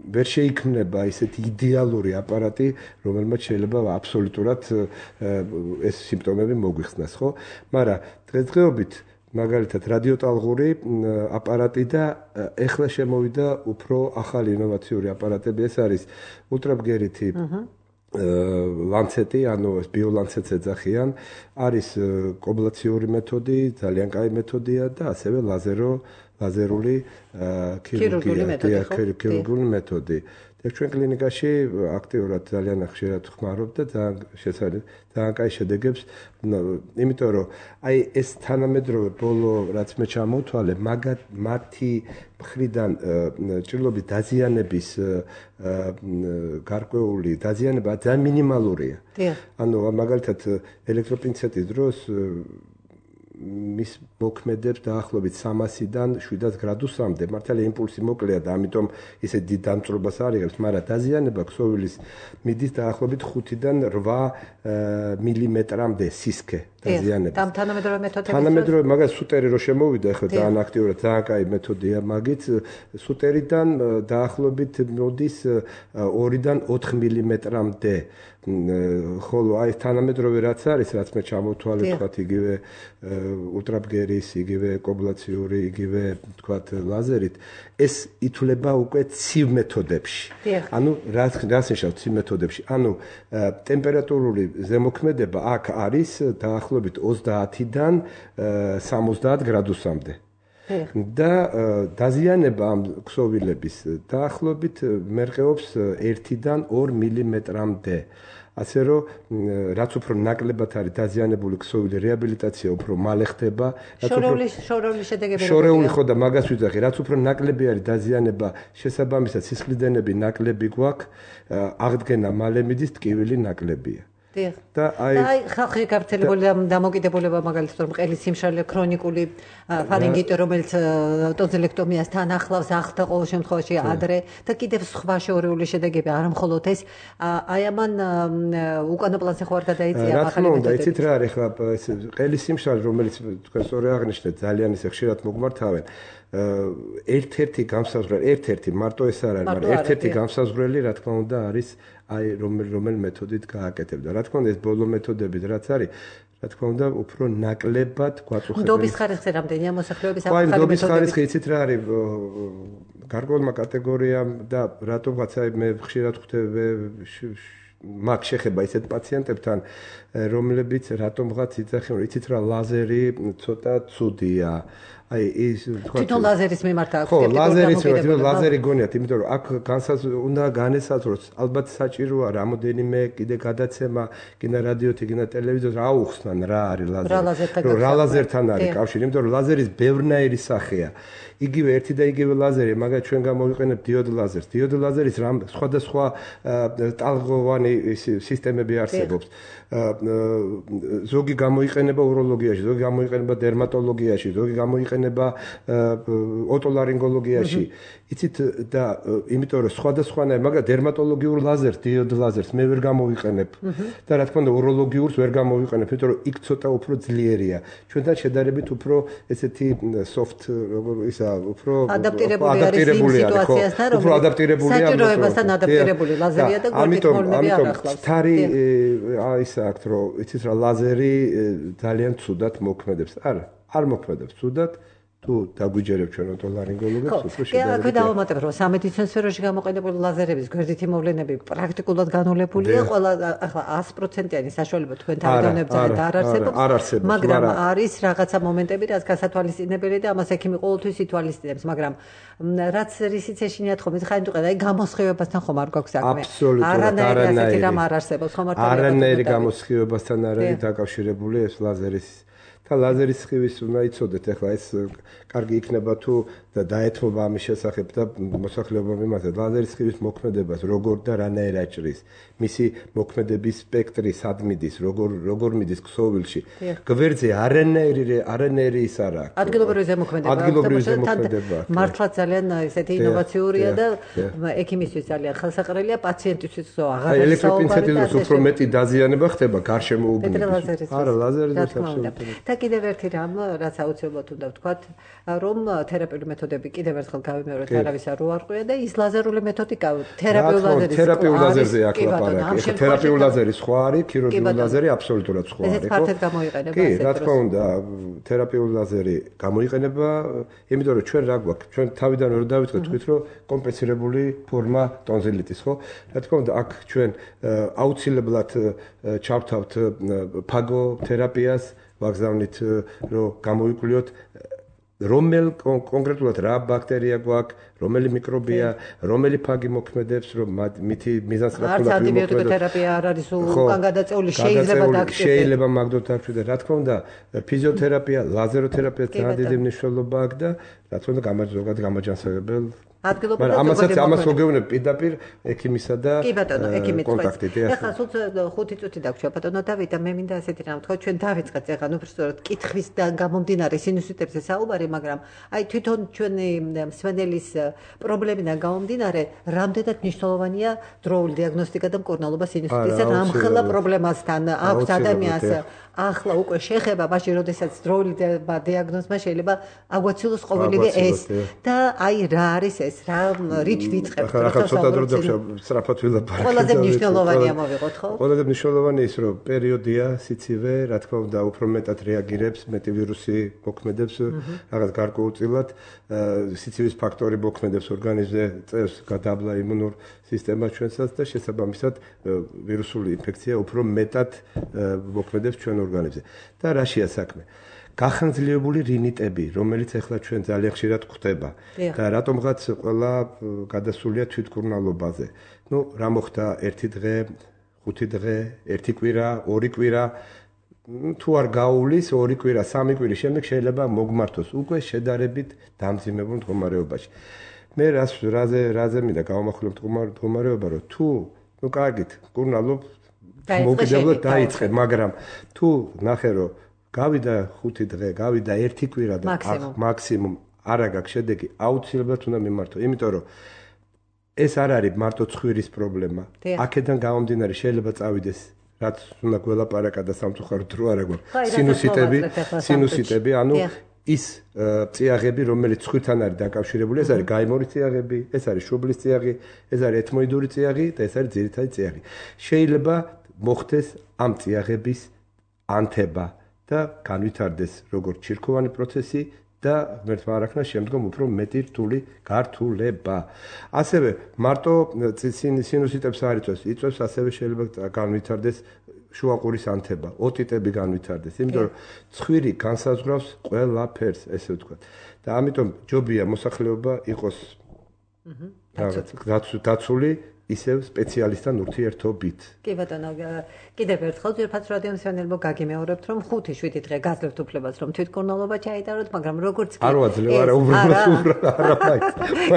ვერ შეიქმნება ისეთი იდეალური აპარატი, რომელმაც შეიძლება აბსოლუტურად ეს სიმპტომები მოგვიხსნას, ხო? მაგრამ დღესდღეობით მაგალითად რადიოტალღური აპარატი და ეხლა შემოვიდა უფრო ახალი ინოვაციური აპარატები, ეს არის ულტრაბგერითი ლანცეტი, ანუ ეს ბიოლანცეტს ეძახიან, არის კობლაციური მეთოდი, ძალიან კაი მეთოდია და ასევე ლაზერული ქირურგიული მეთოდი. და ჩვენ კლინიკაში აქტიურად ძალიან ხშირად ხმარობ და ძალიან კაი შედეგებს, იმიტომ რომ აი ეს თანამედროვე ბოლო რაც მე ჩამოვთვალე, მათი მხრიდან ჭრილობის დაზიანების გარკვეული დაზიანება ძალიან მინიმალურია. ანუ მაგალითად ელექტროპინცეტის დროს მის მოქმედებს დაახლოებით 300-დან 700 გრადუსამდე. მართალია იმპულსი მოკლეა და ამიტომ ისე დიდ დამწვრობას არ იღებს, მაგრამ დაზიანება ქსოვილის მიდის დაახლოებით 5-დან 8 მილიმეტრამდე სისქე დაზიანება. თანამედროვე მაგას სუტერი რო შემოვიდა, ხო ძალიან აქტიურად, ძალიან კაი მეთოდია მაგით. სუტერიდან დაახლოებით მოდის 2-დან 4 მილიმეტრამდე. ხოლო აი თანამედროვე რაც არის, რაც მე ჩამოვთვალე, თქვათ იგივე ულტრაბგერის, იგივე კობლაციური, იგივე თქვათ ლაზერით, ეს ითვლება უკვე ცივ მეთოდებში. ანუ რაც ნიშნავს ცივ მეთოდებში? ანუ ტემპერატურული ზემოქმედება აქ არის დაახლოებით 30-დან 70 გრადუსამდე. და დაზიანება ამ ქსოვილების დაახლოებით მერყეობს 1-დან 2 მილიმეტრამდე. ასე რომ რაც უფრო ნაკლებად არის დაზიანებული ქსოვილი, რეაბილიტაცია უფრო მალე ხდება. შორეული შედეგები. შორეული ხო და მაგას ვიძახი, რაც უფრო ნაკლები არის დაზიანება, შესაბამისად სისხლიდენები ნაკლები გვაქვს, აღდგენა მალე მიდის, ტკივილი ნაკლებია. და აი ხალხი გავრცელებული დამოკიდებულება მაგალითად რომ ყელის სიმშრალე ქრონიკული ფარინგიტი რომელიც ტონზილექტომიასთან ახლავს ახლა ყოველ შემთხვევაში ადრე და კიდევ სხვა შორეული შედეგები არ მხოლოდ ეს აი ამან უკანა პლანზე ხო არ გადაიწია ახალი მეთოდები. რა თქმა უნდა, იცით რა არის ხა ეს ყელის სიმშრალე რომელიც თქვენ სწორედ აღნიშნეთ ძალიან ისე ხშირად მოგმართავენ ერთ-ერთი გამსაზღვრელი, ერთ-ერთი მარტო ეს არ არის, მაგრამ ერთ-ერთი გამსაზღვრელი რა თქმა უნდა არის აი რომელ მეთოდით გააკეთებდა. რა თქმა უნდა ეს ბოლო მეთოდებით რაც არის, რა თქმა უნდა უფრო ნაკლებად გვაწუხებენ. ნდობის ხარისხი რამდენია მოსახლეობის ახალი მეთოდებით? ნდობის ხარისხი იცით რა არის? გარკვეულმა კატეგორიამ და რატომღაც აი მე ხშირად ხვდები მაგ შეხება ისეთ პაციენტებთან, რომლებიც რატომღაც იძახიან, იცით რა ლაზერი ცოტა ცუდია. აი ის თქვა თვითონ ლაზერის მიმართ აქვს ხო ლაზერის მიმართ ლაზერი გონიათ, იმიტომ რომ აქ უნდა განესაზღვროს, ალბათ საჭიროა რამოდენიმე კიდე გადაცემა, კიდე რადიოთი, კიდე ტელევიზორზე აუხსნან რა არის ლაზერი. რა ლაზერთან არის კავშირი, იმიტომ რომ ლაზერის ბევრნაირი სახეა. იგივე ერთი და იგივე ლაზერი, მაგათ ჩვენ გამოვიყენებთ დიოდ ლაზერს. დიოდ ლაზერის სხვადასხვა ტალღოვანი სისტემები არსებობს. ზოგი გამოიყენება უროლოგიაში, ზოგი გამოიყენება დერმატოლოგიაში, ზოგი გამოიყენება ოტოლარინგოლოგიაში. იცით და იმიტომ რომ სხვადასხვანაირ, მაგრამ დერმატოლოგიურ ლაზერს, დიოდ ლაზერს მე ვერ გამოვიყენებ და რა თქმა უნდა უროლოგიურს ვერ გამოვიყენებ, იმიტომ რომ იქ ცოტა უფრო ძლიერია. ჩვენთან შედარებით უფრო ესეთი soft ისა უფრო ადაპტირებული არის სიტუაციასთან, უფრო ადაპტირებულია საჭიროებასთან ადაპტირებული ლაზერია და გორდიკმოლები არ ახლავს. თარი ის აქვს რომ იცით რა ლაზერი ძალიან ცუდად მოქმედებს. არ მოქმედებს ცუდად. თუ დაგვიჯერებ ჩვენ ოტოლარინგოლოგებს უფრო შედარებით. კი, დავამატებ რომ სამედიცინო სფეროში გამოყენებული ლაზერების გვერდითი მოვლენები პრაქტიკულად განოლებულია, ყველა ახლა 100%-იანი საშუალება თქვენ თავგანებთ არ არსებობს, მაგრამ არის რაღაცა მომენტები, რაც გასათვალისწინებელი და ამას ექიმი ყოველთვის ითვალისწინებს, მაგრამ რაც რისიც ეშინიათ ხომ, ხაინ თუ ყედა, აი გამოსხივებასთან ხომ არ გვაქვს საქმე. არანაირი ასეთი რამ არ არსებობს, ხომ არ არანაირი გამოსხივებასთან არ არის დაკავშირებული ეს ლაზერის და ლაზერის სხივის უნდა იცოდეთ, ახლა ეს კარგი იქნება თუ დაეთმობა ამის შესახებ და მოსახლეობა მიმართა ლაზერის სხივის მოქმედებას როგორ და რანაირ აჭრის, მისი მოქმედების სპექტრი სად მიდის, როგორ მიდის ქსოვილში. გვერდზე არანაირი ის არ აქვს. ადგილობრივი ზემოქმედება. მართლაც ძალიან ესეთი ინოვაციურია და ექიმისთვის ძალიან ხელსაყრელია, პაციენტისთვის აღარ არის. ელექტროპინცეტის უფრო მეტი დაზიანება ხდება გარშემო უბნების. არა, ლაზერის აბსოლუტურად. კიდევ ერთი რამ, რაც აუცილებლად უნდა ვთქვათ, რომ თერაპიული მეთოდები კიდევ ერთხელ გავიმეორეთ, არავის არ უარყვია და ის ლაზერული მეთოდი თერაპიულ ლაზერზე აქ ლაპარაკი. ეხლა თერაპიული ლაზერი სხვა არის, ქირურგიული ლაზერი აბსოლუტურად სხვა არის. ეს ფართოდ გამოიყენება. კი, რა თქმა უნდა, თერაპიული ლაზერი გამოიყენება, იმიტომ რომ ჩვენ რა გვაქვს? ჩვენ თავიდან ვერ დავიწყეთ თქვით, რომ კომპენსირებული ფორმა ტონზილიტის, ხო? რა თქმა უნდა, აქ ჩვენ აუცილებლად ჩავთავთ ფაგოთერაპიას ვაგზავნით რომ გამოვიკვლიოთ რომელ კონკრეტულად რა ბაქტერია გვაქვს, რომელი მიკრობია, რომელი ფაგი მოქმედებს, რომ მითი მიზანსწრაფულად ვიმოქმედოთ. ანტიბიოტიკოთერაპია არ არის უკან გადაწეული, შეიძლება მაგდოთ დაგჭირდა. რა თქმა უნდა, ფიზიოთერაპია, ლაზეროთერაპია ძალიან დიდი მნიშვნელობა აქვს და რა თქმა უნდა, ზოგადად გამაჯანსაღებელ ადგილობრივ ამას მოგეუბნებ პირდაპირ ექიმისა და კონტაქტით. ეხლა სულ 5 წუთი დაგვრჩა ბატონო დავით და მე მინდა ასეთი რამ თქვა ჩვენ დავიწყეთ ეხლა უბრალოდ კითხვის და გამომდინარე სინუსიტებზე საუბარი, მაგრამ აი თვითონ ჩვენი მსმენელის პრობლემიდან გამომდინარე რამდენად მნიშვნელოვანია დროული დიაგნოსტიკა და მკურნალობა სინუსიტისა რამხელა პრობლემასთან აქვს ადამიანს ახლა უკვე შეხება მაშინ როდესაც დროული დიაგნოზმა შეიძლება აგვაცილოს ყოველივე ეს და აი რა არის ეს რა რით ვიწყებთ ახლა ცოტა დრო სწრაფად ვილაპარაკე ყველაზე მნიშვნელოვანია მოვიღოთ ხო ყველაზე მნიშვნელოვანია ის რომ პერიოდია სიცივე რა თქმა უნდა უფრო მეტად რეაგირებს მეტი ვირუსი მოქმედებს რაღაც გარკვეულწილად სიცივის ფაქტორი მოქმედებს ორგანიზმზე წევს გადაბლა იმუნურ სისტემას ჩვენსაც და შესაბამისად ვირუსული ინფექცია უფრო მეტად მოქმედებს ჩვენ ორგანიზმზე და რაშია საქმე გახანძლებული რინიტები რომელიც ახლა ჩვენ ძალიან ხშირად გვხდება და რატომღაც ყველა გადასულია თვითმკურნალობაზე ნუ რა მოხდა 1 დღე 5 დღე 1 კვირა 2 კვირა თუ არ გაუვლის 2 კვირა 3 კვირის შემდეგ შეიძლება მოგმართოს უკვე შედარებით დამძიმებულ მდგომარეობაში მე რაზე მინდა გავამახვილო მდგომარეობა რომ თუ ნუ კარგით მკურნალობ მოგიდებლად დაიწყე მაგრამ თუ ნახე რომ გავიდა 5 დღე გავიდა 1 კვირა და მაქსიმუმ არა გაქვს შედეგი აუცილებლად უნდა მიმართო იმიტომ რომ ეს არ არის მარტო ცხვირის პრობლემა აქედან გამომდინარე შეიძლება წავიდეს რაც უნდა გველაპარაკა და სამწუხაროდ რო არა გვაქვს სინუსიტები ანუ ის წიაღები რომელიც ცხვირთან არის დაკავშირებული ეს არის გაიმორის წიაღები ეს არის შუბლის წიაღი ეს არის ეთმოიდური წიაღი და ეს არის ძირითადი წიაღი შეიძლება მოხდეს ამ წიაღების ანთება და განვითარდეს როგორც ჩირქოვანი პროცესი და ღმერთმა არ ახსნა შემდგომ უფრო მეტი რთული გართულება. ასევე მარტო სინუსიტებს არ იწვევს, ასევე შეიძლება განვითარდეს შუაყურის ანთება, ოტიტები განვითარდეს, იმიტომ რომ ცხვირი განსაზღვრავს ყველაფერს, ესე ვთქვათ. და ამიტომ ჯობია მოსახლეობა იყოს დაცული ისევ სპეციალისტთან ურთიერთობით. კი ბატონო, კიდევ ერთხელ ძირფაც რადიო მსმენელებო გაგიმეორებთ, რომ 5-7 დღე გაძლევთ უფლებას, რომ თვითმკურნალობა ჩაიტაროთ, მაგრამ როგორც კი არ ვაძლევ, არა უბრალოდ არა მაინც.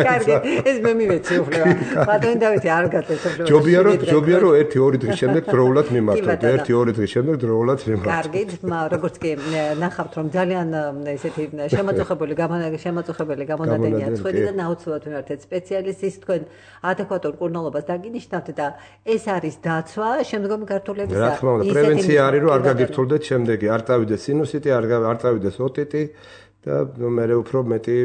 კარგი, ეს მე მივეცი უფლება. ბატონო დავითი არ გაძლევთ უფლებას. ჯობია რომ 1-2 დღის შემდეგ დროულად მიმართოთ, 1-2 დღის შემდეგ დროულად მიმართოთ. კარგი, როგორც კი ნახავთ, რომ ძალიან ესეთი შემაწუხებელი გამონადენია ცხვირი და აუცილებლად მიმართეთ სპეციალისტის თქვენ ადეკვატურ მკურნალობას დაგინიშნავთ და ეს არის დაცვა შემდგომი გართულების რა თქმა უნდა პრევენცია არის რომ არ გაგირთულდეთ შემდეგი არ წავიდეს სინუსიტი არ წავიდეს ოტიტი და მე უფრო მეტი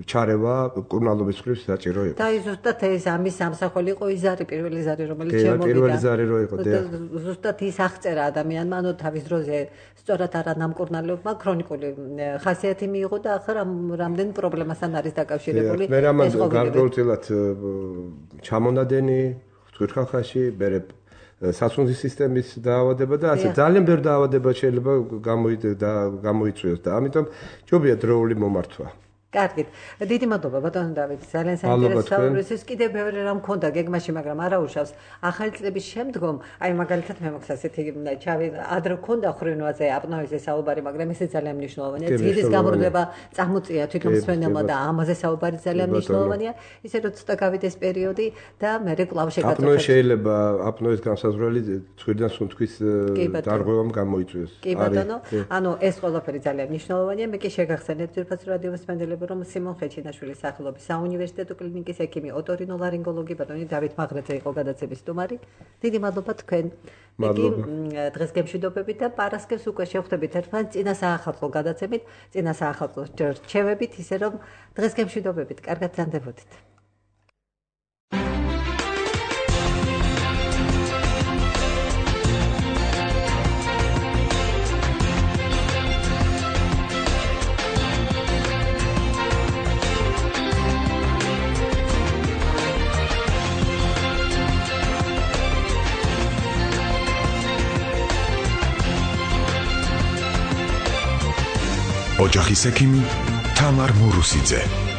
ჩარევა მკურნალობის მხრივ საჭირო იყო და ზუსტად ეს ამის სამსახველი იყო იზარი პირველი ზარი რომელიც შემოვიდა პირველი ზარი რო იყო და ზუსტად ის აღწერა ადამიანმა ანუ თავის დროზე სწორად არა ნამკურნალობმა ქრონიკული ხასიათი მიიღო და ახლა რამდენ პრობლემასთან არის დაკავშირებული მე რამან გარკვეულწილად ჩამონადენი ხთვირხახაში ბერე სასუნთის სისტემის დაავადება და ასე ძალიან ბევრი დაავადება შეიძლება გამოიწვიოს და ამიტომ ჯობია დროული მომართვა. კარგით. დიდი მადლობა ბატონო დავით. ძალიან საინტერესო საუბრისთვის. კიდევ ბევრი რამ მქონდა გეგმაში, მაგრამ არა უშავს. ახალი წლების შემდგომ, აი მაგალითად მე მოგს ასეთი ჩავი ადრე მქონდა ხრინვაზე აპნოეზე საუბარი, მაგრამ ესე ძალიან მნიშვნელოვანია. ძილის გამრავლება წამოწია თვითონ მსმენელმა და ამაზე საუბარი ძალიან მნიშვნელოვანია. ისე რომ ცოტა გავიდეს პერიოდი და მე კვლავ შეგაწევთ. აპნოე შეიძლება აპნოეს განსაზღვრელი ცხვირიდან სუნთქვის დარღვევამ გამოიწვიოს. კი ბატონო, ანუ ეს ყველაფერი ძალიან მნიშვნელოვანია. მე კი შეგახსენებთ ძირფაც რადიო მსმენელებს რომ სიმონ ხეჩინაშვილის სახელობის საუნივერსიტეტო კლინიკის ექიმი ოტორინოლარინგოლოგი ბატონი დავით მაღრეძე იყო გადაცემის სტუმარი. დიდი მადლობა თქვენ. დღეს გემშვიდობებით და პარასკევს უკვე შევხვდებით ერთმანეთს წინა საახალწლო გადაცემით, წინა საახალწლო რჩევებით, ისე რომ დღეს გემშვიდობებით. კარგად ზანდებოდით. ოჯახის ექიმი თამარ მურუსიძე